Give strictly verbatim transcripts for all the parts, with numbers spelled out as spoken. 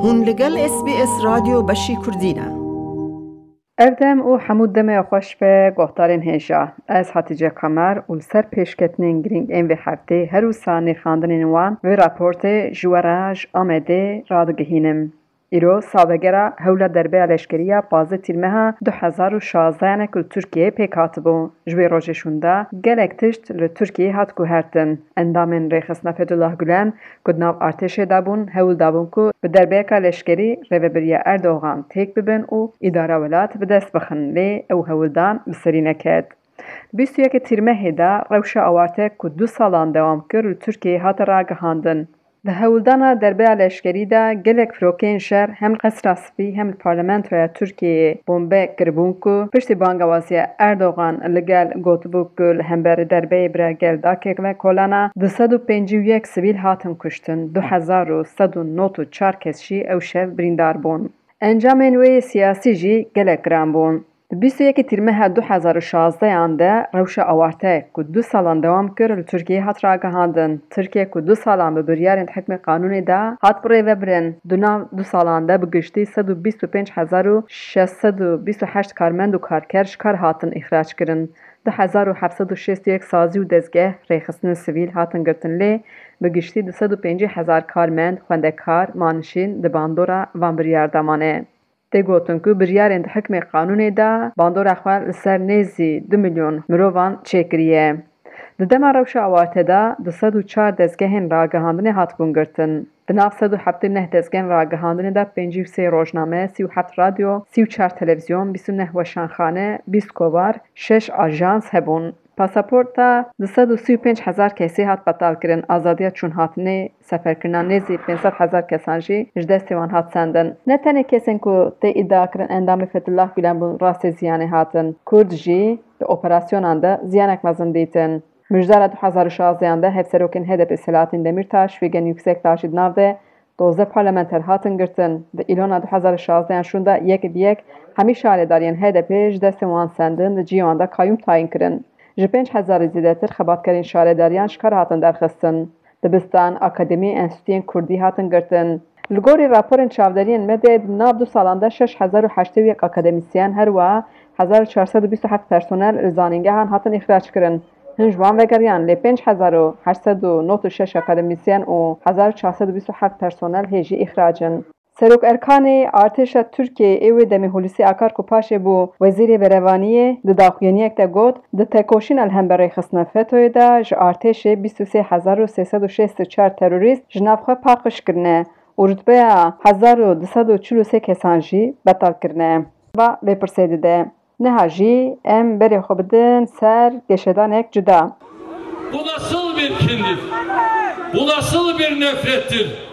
Hûn li gel S B S Radyo Beşî Kurdî ne. Ev dem û hemû demê xweş be, guhdarên hêja. Ez Hatice Kamer û li ser pêşketinên girîng ên vê heftê her wisa nirxandinên wan vê raportê ji we re ji Amedê radigihînim. Îro salvegera hewla derbeya leşkerî ya pazdeh Tîrmeha du hezar û şazdehan e ku li Tirkiyeyê pêk hatibû. Ji wê rojê şûnde gelek tişt li Tirkiyeyê hat guhertin. Endamên rêxistina Fethullah Gulen ku di nav artêşê de bûn, hewl dabûn ku bi derbeyeka leşkerî rêvebiriya Erdogan têk bibin û îdara welat bi dest bixin, lê ew hewldan bi serî neket. Bîst û yekê Tîrmehê de rewşa awarte ku du salan dewam kir, li Tirkiyeyê hate ragihandin. Di hewldana derbeya leşkerî de gelek firokeyên şer hem li Qesra Spî hem li Parlamentoya Tirkiyeyê bombe kiribûn ku piştî bangewaziya Erdogan li gel gotibû ku li hemberî derbeyê bira gel dake ve kolana, du sed û pêncî û yek sivîl hatin kuştin, du hezar û sed û nod û çar kes jî ew şev birîndar bûn. Encamên wê yê siyasî jî gelek giran bûn. Di bîst û yekê Tîrmeha du hezar û şazdehan de rewşa awarte ku du salan dewam kir, li Tirkiyeyê hat ragihandin. Tirkiye ku du salan bi biryarên hikmê qanûnê de hat birêvebirin, di nav du salan de bi giştî sed û bîst û pênc hezar û şeş sed û bîst û heşt karmend û karker ji kar hatin îxrac kirin. Du hezar û heft sed û şêst û yek sazî û dezgeh rêxistinên sivîl hatin girtin, lê bi giştî du sed û pêncî hezar karmend, xwendekar, manişîn di bandora van biryar de mane. Tê gotin ku biryarên di hikmê qanûnê de bandora xwe li ser nêzî du milyon mirovan çêkiriye. Di dema rewşa awarte de du sed û çar dezgehên ragihandinê hatibûn girtin. Di nav sed û heftê û neh dezgehên ragihandinê de pêncî û sê rojname, sî û heft radyo, sî û çar televîzyon, bîst û neh weşanxane, bîst kovar, şeş ajans hebûn. Pasaporta du sed û sî û pênc hezar kesî hat betal kirin, azadiya çûnhatinê, seferkirina nêzî pênc sed hezar kesan jî ji destê wan hat sendin. Ne tenê kesên ku tê îdia kirin endamê Fethullah Gulen bûn rastê ziyanê hatin, Kurd jî di operasyonan de ziyanek mezin dîtin. Mijdara du hezar û şazdehan de hevserokên H D P Selahattin Demirtaş, Figen Yüksekdağ jî di nav de dozdeh parlamenter hatin girtin. Di Îlona du hezar û şazdehan şûnde yek bi yek hemî şaredariyên H D P ji destên wan sendin, di cihê wan de qayûm tayîn kirin. Ji pênc hezarî zêdetir xebatkarên şaredariyan ji kar hatin derxistin. Dibistan, akademî, enstitûyên kurdî hatin girtin. Li gorî raporên çavderiyên medyayê di nav du salan de şeş hezar û heştê û yek akademîsyen, her wiha hezar û çar sed û bîst û heft personel li zanîngehan hatin îxrac kirin. Hin ji wan vegeriyan, lê pênc hezar û heşt sed û nod û şeş akademîsyen û hezar û çar sed û bîst û heft personel hê jî îxrac in. Serok Erkanê artêşa Tirkiyeyê ê wê demê Hulusi Akar ku paşê bû Wezîrê Berevaniyê, di daxuyaniyek de got, di tekoşîna li hember rêxistina FETÖ'yê de ji artêşê bîst û sê hezar û sê sed û şêst û çar terorîst ji nav xwe paqij kirine û rutbeya hezar û du sed û çil û sê kesan jî betal kirine. Va vê pirsê dide. Niha jî em berê xwe bidin ser geşedanek cuda. Bu nasıl bir kindir? Bu nasıl bir nefrettir?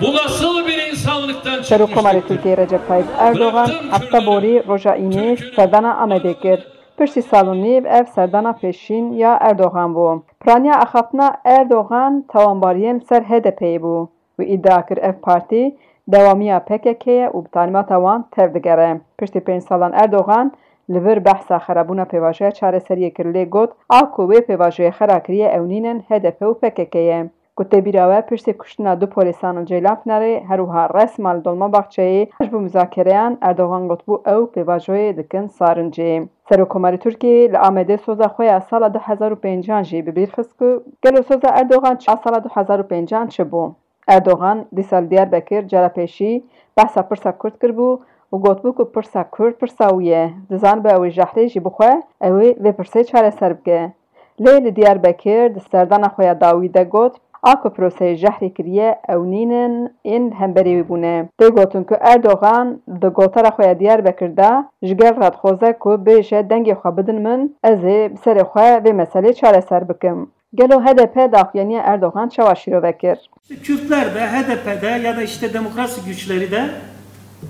Bu nasıl bir insanlıktan çıkmış Serokkomarê tiptir? Tirkiyeyê Recep Tayyip Erdogan hefta borî roja Înê serdana Amedê kir. Piştî sal û nîv ev serdana pêşîn ya Erdogan bû. Piraniya axaftina Erdogan tawanbariyên li ser H D P'yê bû. Wî îdia kir ev partî dewamiya P K K ye û bi tanîmata wan tev digere. Piştî pênc salan Erdogan li vir behsa xerabûna pêvajoya çareseriyê kir, lê got, a ku wê pêvajoyê xera kiriye ew nîn in H D P û P K K ye. Ku tê bîra we, piştî kuştina du polîsan li Ceylanpinarê, her wiha resma li Dolmabahçeyê ji bo muzakereyan, Erdogan gotibû ew pêvajoyê dikin sarincê. Serokkomarê Tirkiyeyê li Amedê soza xwe ya sala du hezar û pêncan jî bi bîr xist ku gelo soza Erdogan a sala du hezar û pêncan çi bû? Erdogan dîsa li Diyarbekir cara pêşî behsa pirsa Kurd kiribû û gotibû ku pirsa Kurd pirsa wî ye. Dizanibe ew ê jehrê jî bixwe, ew ê vê pirsê çareser bike. Lê li Diyarbekir di serdana xwe ya dawî de got, a ku proseyê jehrê kiriye, ew nîn in ên li hemberî wî bûne. Tê gotin ku Erdogan di gotara xwe ya Diyarbekir de ji gel re dixwaze ku bêje dengê xwe bidin min, ez ê bi serê xwe vê meselê çareser bikim. Gelo H D P daxuyaniya Erdogan çawa şîrove kir? Kürtlerde, H D P'de ya da işte demokrasi güçleri de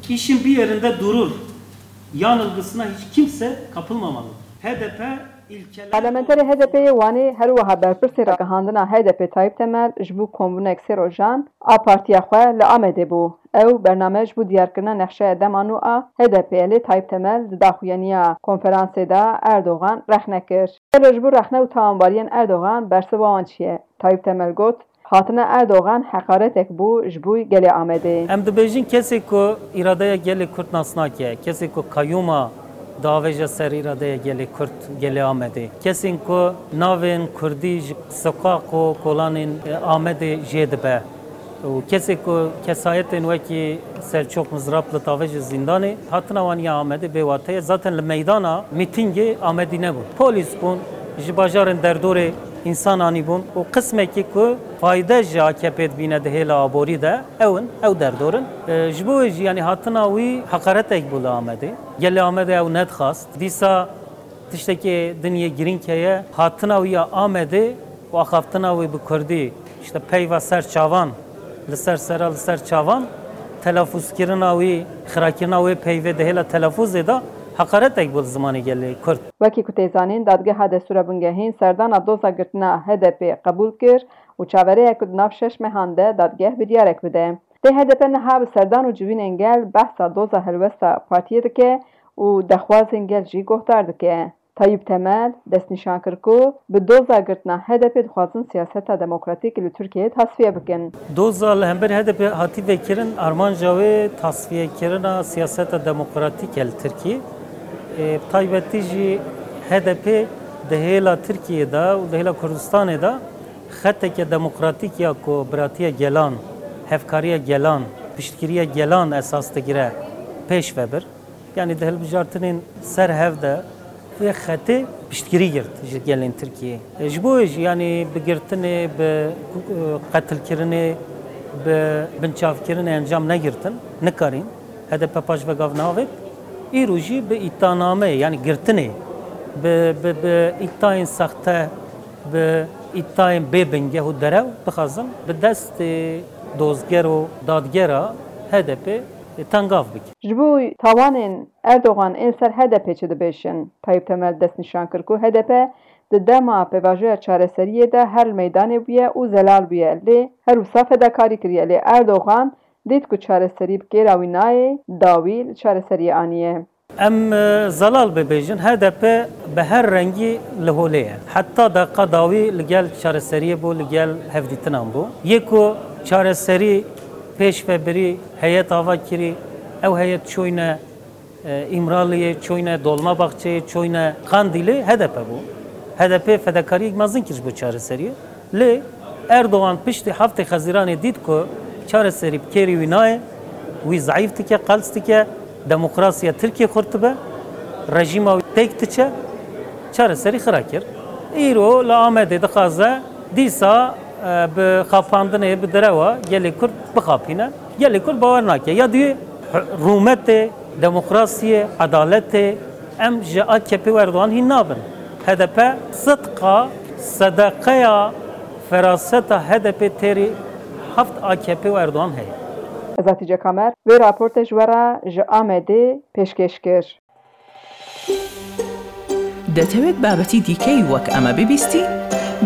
işin bir yerinde durur yanılgısına hiç kimse kapılmamalı. H D P ilkeler Parlamenterê H D P'ê yê Wanê her wiha berpirsê ragihandina H D P Tayyip Temel ji bo kombûnek sê rojan a partiya xwe li Amedê bû. Ew bername ji bo diyarkirina nexşeya dema nû a H D P'ê ye, lê Tayyip Temel di daxuyaniya konferansê de Erdogan rexne kir. Gelo ji bo rexne û tawanbariyên Erdogan bersiva wan çi ye? Tayyip Temel got, Hatina Erdogan heqaretek bû ji bo gelê Amedê. Em dibêjin kesê ku îradeya gelê Kurd nas nake, kesê ku kayûma diavêje ser îradeya gelê Kurd, gelê Amedê. Kesên ku navên Kurdî ji soqaq û kolanên Amedê jê dibe û kesê ku kesayetên wekî Selçok Mizrapli diavêje zîndanê, hatina wan ya Amedê bêwate ye. Zaten li meydana mîtîngê Amedî nebûn. Polîs bûn, ji bajarên derdorê însan anîbûn û qismekî ku fayde ji A K P'ê dibîne di hêla aborî de, ew in, ew derdor in. E, ji bo wê jî, yanî hatina wî heqaretek bû li Amedê. Gelê Amedê ew nedixwast. Dîsa tiştekê din yê girîng heye, hatina wî ya Amedê û axaftina wî bi kurdî, işte peyva ser çavan, li ser sera, li ser çavan, telafûzkirina wî, xirakirina wê peyvê di hêla telafûzê de heqaretek bû li zimanê gelê kurd. Wekî ku tê zanîn, Dadgeha Destûra Bingehîn serdana doza girtina H D P qebûl kir û çaverê ye ku di nav şeş mehan de dadgeh biryarek bide. Lê H D P niha bi serdan û civînên gel behsa doza helwesta partiyê dike û dexwazên gel jî guhdar dike. Tayyip Temel destnîşan kir ku bi doza girtina H D P dixwazin siyaseta demokratîk li Tirkiyeyê tasfiye bikin. Doza li hember H D P hatî vekirin, armanca wê tasfiyekirina siyaseta demokratîk e li Tirkiyê. Ê, bi taybetî jî H D P di hêla Tirkiyê de û di hêla Kurdistanê de xeteke demokratîk ya ku biratiya gelan, hevkariya gelan, piştgiriya gelan esas digire pêş ve bir. Yanî di hilbijartinên ser hev de vê xetê piştgirî girt ji gelên Tirkiyê. E, ji bo wê jî yanî bi girtinê, bi, e, qetilkirinê, bi binçavkirinê encam negirtin, nikarîn. H D P paş ve gav neavêt. Îro jî bi îtanameyê, yanî girtinê, bi, bi, bi îtayên sexte, bi îtayên bê bingeh û derew dixwazin bi destê dozger û dadgera H D P tengav bikin. Ji bo tawanên Erdogan ên ser H D P çi dibêjin? Tayyip Temel destnîşan kir ku H D P di dema pêvajoya çareseriyê de her li meydanê bûye û zelal bûye, lê her wisa fedakarî kiriye. Lê Erdogan dît ku çareserî bi kêra wî nayê, dawî li çareseriyê aniye. Em, e, zelal bibêjin, H D P bi her rengî li holê ye. Heta deqa dawî li gel çareseriyê bû, li gel hevdîtinan bû. Yê ku çareserî pêş ve birî, heyet ava kirî, ew heyet çûyne, e, Îmraliyê, çûyne Dolmabahçeyê, çûyne Qandîlê, H D P bû. H D P fedakariyek mezin kir ji bo çareseriyê. Lê Erdogan piştî heftê Xezîranê dît ku çareserî bi kêrî wî nayê, wî zeîf dike, qels dike, demokrasiya Tirkiyê xurt dibe, rejîma wî têk diçe, çareserî xira kir. Îro li Amedê dixwaze dîsa, e, bi xapandinê, bi derewa gelê Kurd bixapîne. Gelê Kurd bawer nake. Ya duyê, rûmetê, demokrasiyê, edaletê, em ji A K P û Erdogan hîn nabin. H D P sidqa, sedeqeya, feraseta H D P têrî heft A K P û Erdogan heye. Ez Hatice Kamer, vê raportê ji we re ji Amedê pêşkêş kir. دەتەوێت بابەتی دیکەی وەک ئەمە ببیستی؟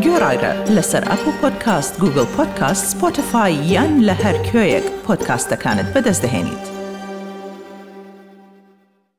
گوێڕایرە لەسەر ئەپڵ پۆدکاست، گوگڵ پۆدکاست، سپۆتیفای یان لە هەر کوێیەک پۆدکاستەکانت بەدەست دەهێنیت.